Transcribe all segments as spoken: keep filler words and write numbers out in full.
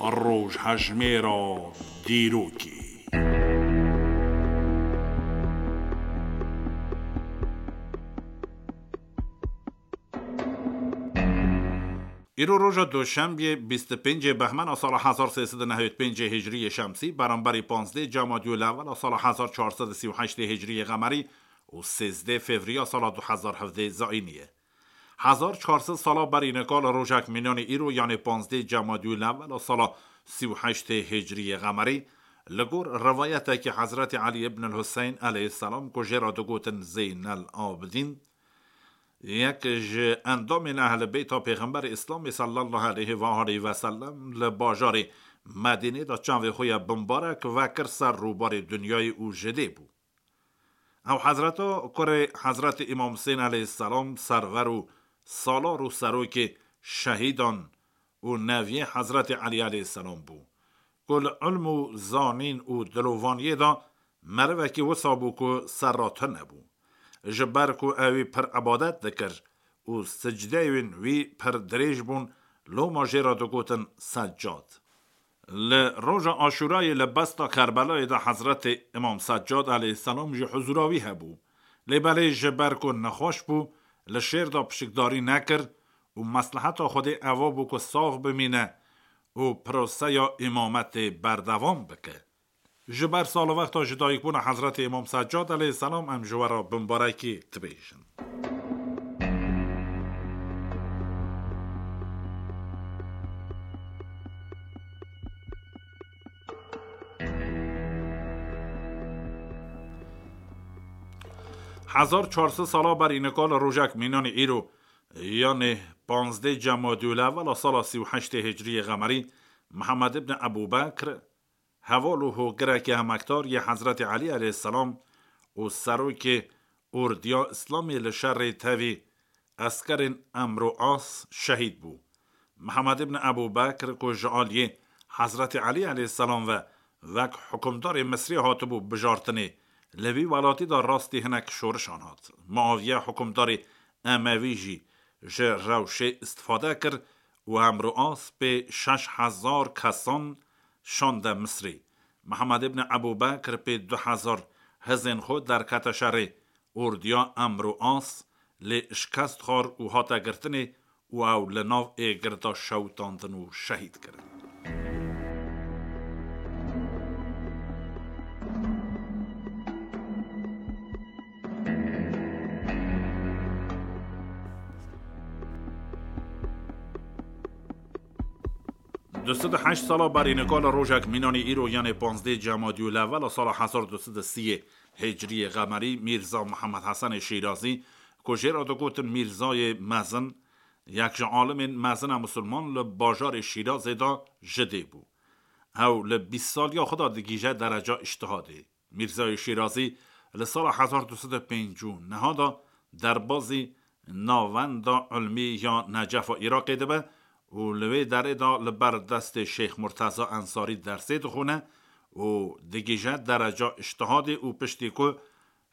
Rojhejmêra dîrokê. Îro roja Doşembiyê, bîst û pêncê Behmena sala hezar sê sed û nehewî pêncê Hicriyê Şemsî, beramberî panzdê Cemadiyûl Ewwela sala hezar çar sed û sî û heştê Hicriyê Qemerî û sêzdeh Fevriya sala du hezar hevdeh Zayînî ye. Hezar çar sed sala berî nika li rojek mînanî îro, yanê panzdê Cemadiyûl Ewwela sala sî û heştê Hicriyê Qemerî, li gor rivayetekî Hezretî Elî ibn el Huseyn aleyhisselam ku jê re digotin Zeynel Abidîn, yek ji endamên Ehl Beyta Pêxemberê Îslamê sallallahu aleyhi ve aleyhi ve sellem li bajarê Medînê de çavê xwe ya bimbarek vekir ser rûbarê dinyayê û ji dê bû. Ew Hezreta kurê Hezretî Îmam Husên aleyhisselam server û salar û serokê şehîdan û neviyê Hezretî Elî aleyhisselam bû, ku li ilm û zanîn û dilovaniyê de merivekî wisa bû ku serra tune bû. Ji ber ku ewî pir ibadet dikir û sicdeyên wî pir dirêj bûn, loma jê re digotin Seccad. Li roja Aşûrayê li besta Kerbelayê de Hezretê Îmam Seccad aleyhisselam jî huzûra wî hebû. Lê belê ji ber ku nexweş bû, li şêr de pişikdarî nekir û mesleheta Xwedê eva bû ku sax bimîne û proseya îmametê berdewam bike. Ji ber salwexta ji dayikbûna Hezretê Îmam Seccad aleyhisselam em ji we re bimbarekî dibêjin. Hezar çar sed sala berî nika li rojek mînanî îro, yanê panzdeh Cemadiyûl Ewwela sala sî û heştê Hicriyê Qemerî, Mihemed ibn Ebû Bekr, heval û hogirekî emekdar yê Hezretî Elî aleyhisselam û serokê ordiya Îslamê li şerê tevî eskerên Emr û As şehîd bû. Mihemed ibn Ebû Bekr ku ji aliyê Hezretî Elî aleyhisselam ve wek hukimdarê Misrê hatibû bijartinê, li vî welatî de rastî hinek şorişan hat. Muaviye hukimdarê Emewî jî ji rewşê îstifade kir û Emr û As pê şeş hezar kesan şande Misrê. Mihemed ibn Ebû Bekr pê du hezar hizên xwe derkete şerê ordiya Emr û As, lê şikest xwar û hate girtinê û ew li nav êgir de şewitandin û şehîd kirin. Du sed û heşt sala berî nika li rojek mînanî îro, yanê panzdeh Cemadiyûl Ewwela sala hezar du sed û sî Hicriyê Qemerî, Mîrza Mihemed Hesenê Şîrazî, ku jê re digotin Mîrzayê Mezin, yek ji alimên mezin a misilman li bajarê Şîrazê de ji dê bû. Ew li bîst saliya xwe de digihîje dereca îctihadê. Mîrzayê Şîrazî li sala hezar du sed û pêncî û neh de derbazî Navenda Ilmî ya Necefa Iraqê dibe û li wê derê de li ber destê Şêx Murteza Ensarî dersê dixwine û digihîje dereca îctihadê û piştî ku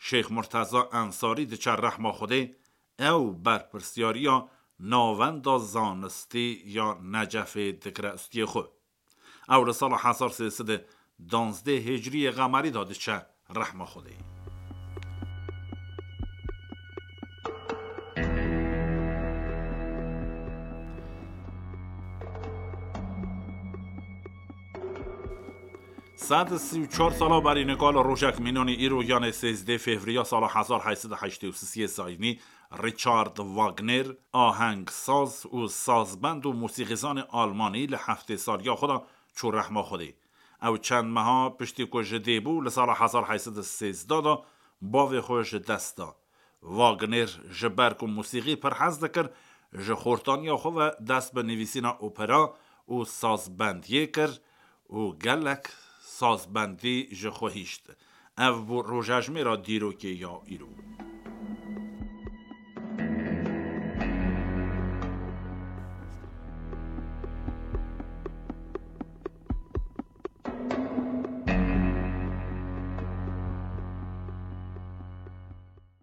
Şêx Murteza Ensarî diçe rehma Xwedê, ew berpirsyariya Navenda Zanistî ya Necefê dikire ustiyê xwe. Ew li sala hezar sê sed û danzdeh Hicriyê Qemerî de diçe rehma Xwedê. Sed û sî û çar sala berî nika li rojek mînanî îro, yanê sêzdeh Fevriya sala hezar heyt sed û heştê û sisê Zayînî, Richard Wagner, ahengsaz û sazbend û mûsîqîzanê Almanî, li heftê saliya xwe de çû rehma Xwedê. Ew çend meha piştî ku ji dê bû, li sala hezar heyt sed û sêzdeh de bavê xwe ji dest da. Wagner ji ber ku mûsîqî pir hez dikir, ji xortaniya xwe ve dest bi nivîsîna opera û sazbendiyê kir û gelek sazbendî ji xwe hişt. Ev bû rojejmêra dîrokê ya îro.